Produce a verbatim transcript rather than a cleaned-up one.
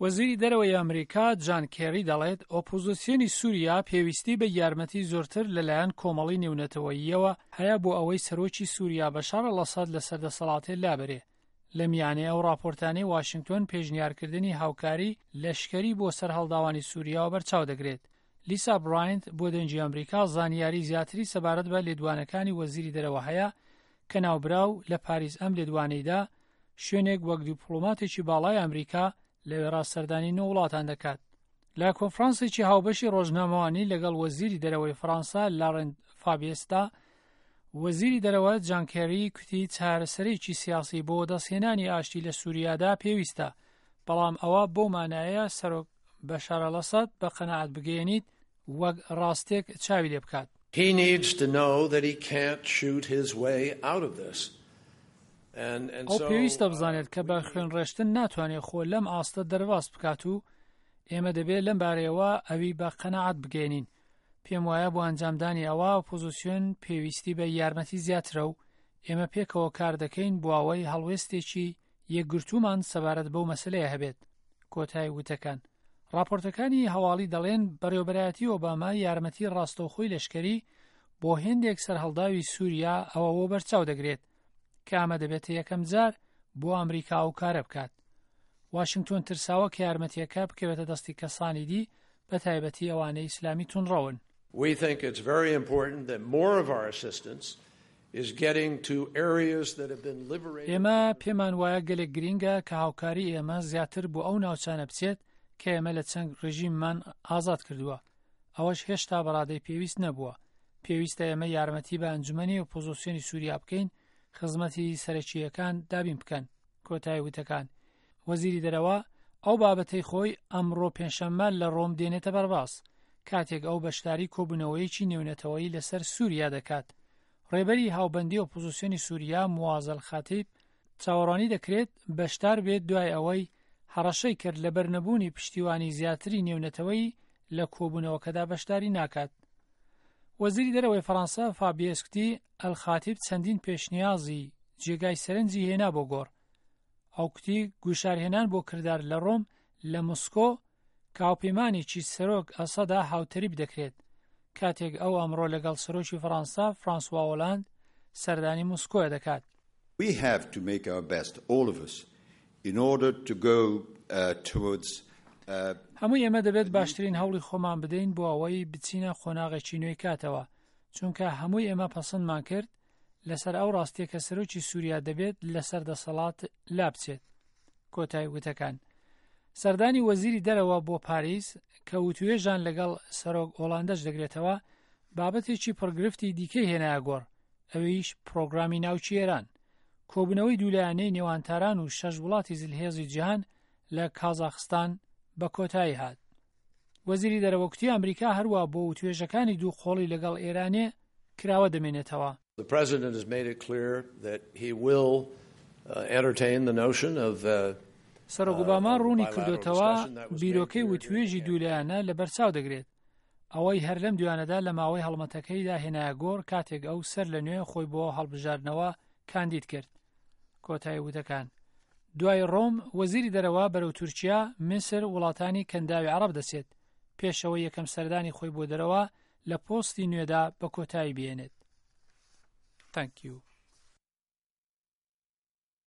وەزیری دەرەوەی ئەمریکا جان کێری دەڵێت ئۆپۆزیسیۆنی سووریا پێویستی بە یارمەتی زۆرتر لەلایەن کۆمەڵی نێونەتەوەییەوە هەیە بۆ ئەوەی سەرۆکی سووریا بەشار ئەلئەسەد لەسەر دەسەڵاتێ لابەرێ. لە میانەی ئەو راپۆرتانەی واشنگتۆن پێشنیارکردنی هاوکاری لەشکەری بۆ سەرهەڵداوانی سووریاوە بەرچاو دەگرێت. لیسا براینت بۆ دەنگی ئەمریکا زانیاری زیاتری سەبارەت بە لێدوانەکانی وەزیری دەرەوە هەیە کە ناوبراو لە پاریس ئەم لێدوانەیدا شوێنێک وەک دیپلۆماتێکی باڵای ئەمریکا لەوێڕا سەردانی نۆ وڵاتان دەکات. لە کۆنفرانسێکی هاوبەشی ڕۆژنامەوانی لەگەڵ وەزیری دەرەوەی فەڕەنسا لارنت فابیسدا، وەزیری دەرەوە جان کێری کوتی چارەسەرێکی سیاسی بۆ دەستهێنانی ئاشتی لە سووریادا پێویستە، بەڵام ئەوە بۆ مانایە سەرۆک بەشار ئەلئەسەد بە قەناعەت بگەیەنیت وەک ڕاستێک چاوی لێ بکات. He needs to know that he can't shoot his way out of this. ئەو پێویستە بزانێت کە بە خوێنڕێشتن ناتوانێت خۆ لەم ئاستە دەرباز بکات و ئێمە دەبێت لەم بارەیەوە ئەوی بە قەناعەت بگەێنین. پێم وایە بۆ ئەنجامدانی ئەوە ئۆپۆزیسیۆن پێویستی بە یارمەتی زیاترە و ئێمە پێکەوە کار دەکەین بۆ ئەوەی هەڵوێستێکی یەکگرتوومان سەبارەت بەو مەسلەیە هەبێت. کۆتای وتەکان. راپۆرتەکانی هەواڵی دەڵێن بەڕێوەبەرایەتی ئۆباما یارمەتی ڕاستەوخۆی لەشکەری بۆ هێندێک سەرهەڵداوی سووریا ئەوە بۆ بەرچاو دەگرێت کە ئەمە دەبێتە یەکەم جار بۆ ئەمریکا ئەو کارە بکات. واشنگتۆن ترساوە کە یارمەتیەکە بکەوێتە دەستی کەسانی دی، بە تایبەتی ئەوانەی ئیسلامی توندڕەون. We think it's very important that more of our assistance is getting to areas that have been liberated. ئێمە پێمان وایە گەلێک گرینگە کە هاوکاری ئێمە زیاتر بۆ ئەو ناوچانە بچێت کە ئێمە لە چەند ڕژیممان ئازاد کردووە. ئەوەش هێشتا بەڕادەی پێویست نەبووە. پێویستە ئێمە یارمەتی بە ئەنجومەنی ئۆپۆزیسیۆنی سووریا بکەین خزمەتی سەرەکییەکان دابین بکەن. کۆتای وتەکان. وەزیری دەرەوە ئەو بابەتەی خۆی ئەمڕۆ پێنجشەممە لە ڕۆم دێنێتە بەرباس، کاتێک ئەو بەشداری کۆبوونەوەیەکی نێونەتەوەیی لەسەر سووریا دەکات. ڕێبەری هاوبەندی ئۆپۆزیسیۆنی سووریا موعاز ئەلخەتیب چاوەڕوانی دەکرێت بەشدار بێت دوای ئەوەی هەڕەشەی کرد لەبەر نەبوونی پشتیوانی زیاتری نێونەتەوەی لە کۆبوونەوەکەدا بەشداری ناکات. وەزیری دەرەوەی فەڕەنسا فابیەس کوتی ئەلخاتیب چەندین پێشنیازی جێگای سەرنجی هێنا بۆ گۆڕ. ئەو کوتی گوشارهێنان بۆ کردار لە ڕۆم لە مسکۆ کاوپەیمانێکی سەرۆک ئەسەدا هاوتەریب دەکرێت، کاتێک ئەو ئەمڕۆ لەگەڵ سەرۆکی فەڕەنسا فرانسوا ئۆلاند سەردانی مسکۆ دەکات. We have to make our best, all of us, in order to go uh, towards هەموو ئێمە دەبێت باشترین هەوڵی خۆمان بدەین بۆ ئەوەی بچینە قۆناغێکی نوێی کاتەوە، چونکە هەمووی ئێمە پەسەندمان کرد لەسەر ئەو ڕاستیە کە سەرۆکی سووریا دەبێت لەسەر دەسەڵات لا بچێت. کۆتای وتەکان. سەردانی وەزیری دەرەوە بۆ پاریس کە وتوێژان لەگەڵ سەرۆک ئۆلاندەش دەگرێتەوە، بابەتێکی پڕگرفتی دیکەی هێنایە گۆڕ، ئەویش پرۆگرامی ناوچی ئێران. کۆبوونەوەی دوولایەنەی نێوان تاران و شەش وڵاتی زلهێزی جیهان لە کازاخستان بە کۆتایی هات. وەزیری دەرەوە کوتی ئەمریکا هەروە بۆ وتوێژەکانی دوو قۆڵی لەگەڵ ئێرانێ کراوە دەمێنێتەوە. The president has made it clear that he will uh, entertain the notion of uh, سەرۆک ئۆباما ڕوونی کردوتەوە بیرۆکەی وتوێژی دوولایەنە لەبەرچاو دەگرێت. ئەوەی هەر لەم دوانەدا لە ماوەی هەڵمەتەکەیدا هێنایە گۆڕ کاتێک ئەو سەر لە نوێ خۆی بۆ هەڵبژاردنەوە کاندید کرد. کۆتایی وتەکان. دوای ڕۆم وەزیری دەرەوە بەرەو تورکیا، میسر، وڵاتانی کەنداوی عەرەب دەچێت، پێشەوە یەکەم سەردانی خۆی بۆ دەرەوە لە پۆستی نوێدا بە کۆتایی بێنێت. Thank you.